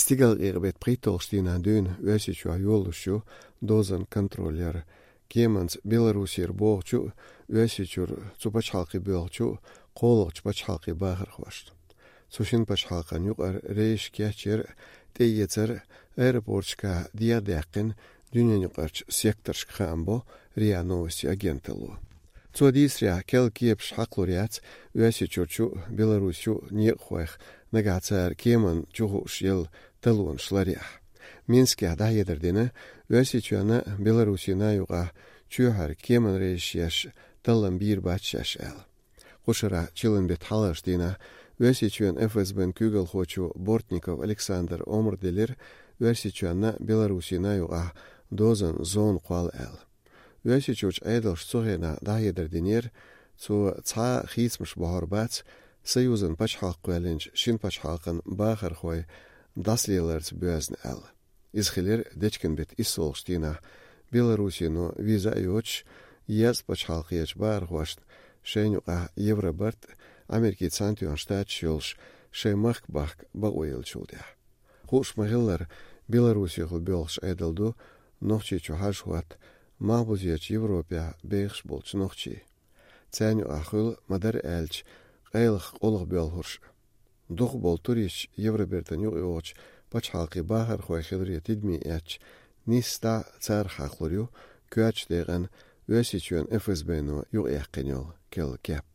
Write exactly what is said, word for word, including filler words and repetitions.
Цигал гӀегӀ бет пхийтталгӀачу дийнахь дуьйна Оьрсийчохь йолуш ю дозан контроль яр. Кеманца Беларусера богӀучу а, Оьрсийчуьра цу пачхьалкхе боьлхучу а кхоалгӀачу пачхьалкхийн бахархошна. Цу шина пачхьалкхан юкъара рейсаш кечъяр а, тӀеэцар а аэропорташкахь дегӀадаьккхина дуьненаюкъарчу секторшка, хаам бо РИА Новости агенталло. Цо дийцарехь, керла кепаш хьакхалур яц Оьрсийчуьрчу а, Беларусин некъахойх, нагахь цара кеманна чухуш елла талонаш ларъяхь. Минскехь дӀахьедар дина, Оьрсийчоьнна а, Беларусина а юкъахь чоьхьара кеманан рейсаш еш таллам бийр бац шаьш аьлла. Кху шарахь чиллан беттан хьалхарчу дийнахь Оьрсийчоьнан ФСБ-н куьйгалхочо Бортников Александра омра делира Оьрсийчоьнна а, Беларусина а юкъахь дозан зона кхолла аьлла. Оьрсийчуьрчу Ӏедалша цу хенахь дӀахьедар динера, цо цхьа а хийцамаш бохьур бац союзан пачхьалкх кхоьллинчу шина пачхьалкхан бахархой дӀасалеларца боьзна аьлла. Иза хилира дечкен беттан иссалгӀачу дийнахь, Беларусино виза а йоцуш, езткъа пачхьалкхерчу бахархошна шайна юкъахь Евробарт а, Америкин Цхьаьнатоьхна Штаташ а йолуш, шайн махка бахка бакъо еллачул тӀаьхьа. Хууш ма-хиллара, Беларусехула боьлхуш Ӏедал ду Нохчийчу хьажа-хӀотта малхбузерчу Европехь бехаш болчу нохчийн. Царна юкъахь хуьлу, ма-дарра аьлча, къайлаха къулгӀа боьлхурш а. Дукхахболу туристаш Евробертана юкъайогӀучу пачхьалкхийн бахархой хиларе тидаме эцча, нийсса дӀа царах хьакхалур ю коьртачу декъана Оьрсийчоьнан ФСБ-но юкъаяьккхина йолу керла кеп.